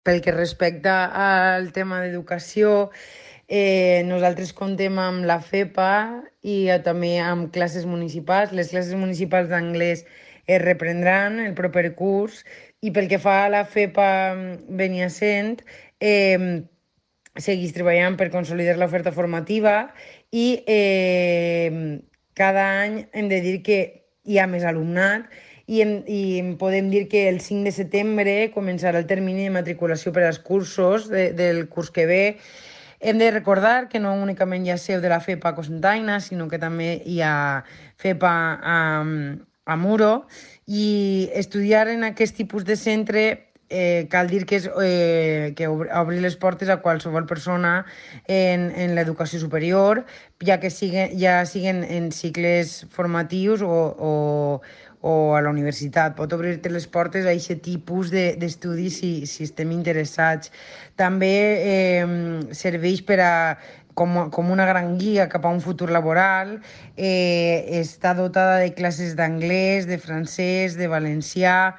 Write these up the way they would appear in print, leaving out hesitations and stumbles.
Pel que respecta al tema d'educació, nosaltres contem amb la FEPA i també amb classes municipals. Les classes municipals d'anglès es reprendran el proper curs i pel que fa a la FEPA Beniassent, segueix treballant per consolidar l'oferta formativa i cada any hem de dir que hi ha més alumnat i podem dir que el 5 de setembre començarà el termini de matriculació per als cursos del curs que ve. Hem de recordar que no únicament hi ha seu de la FEPA a Cocentaina, sinó que també hi ha FEPA a Muro, i estudiar en aquest tipus de centre cal dir que és que obrir les portes a qualsevol persona en l'educació superior, ja siguen en cicles formatius o a la universitat. Pot obrir-te les portes a aquest tipus d'estudis si estem interessats. També serveix com una gran guia cap a un futur laboral. Està dotada de classes d'anglès, de francès, de valencià,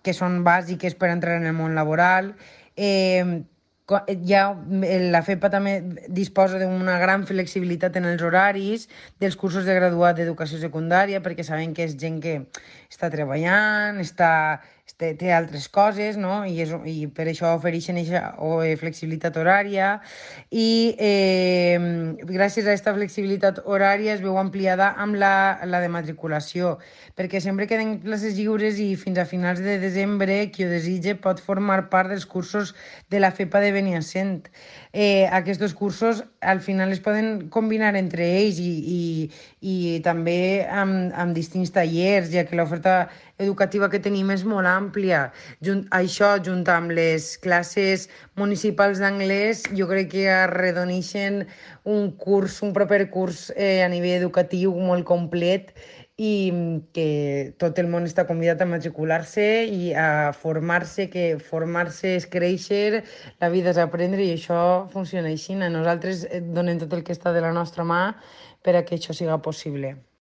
que són bàsiques per entrar en el món laboral. Eh, la FEPA també disposa d'una gran flexibilitat en els horaris dels cursos de graduat d'educació secundària, perquè sabem que és gent que està treballant, té altres coses, no? I per això ofereixen aquesta flexibilitat horària i gràcies a aquesta flexibilitat horària es veu ampliada amb la de matriculació, perquè sempre queden places lliures i fins a finals de desembre qui ho desitja pot formar part dels cursos de la FEPA de Beniassent. Aquests cursos al final es poden combinar entre ells i també amb distints tallers, ja que l'oferta educativa que tenim és molt àmplia. Junt amb les classes municipals d'anglès, jo crec que arredoneixen un proper curs a nivell educatiu molt complet i que tot el món està convidat a matricular-se i a formar-se, que formar-se és créixer, la vida és aprendre i això funciona així. Nosaltres donem tot el que està de la nostra mà per a que això siga possible.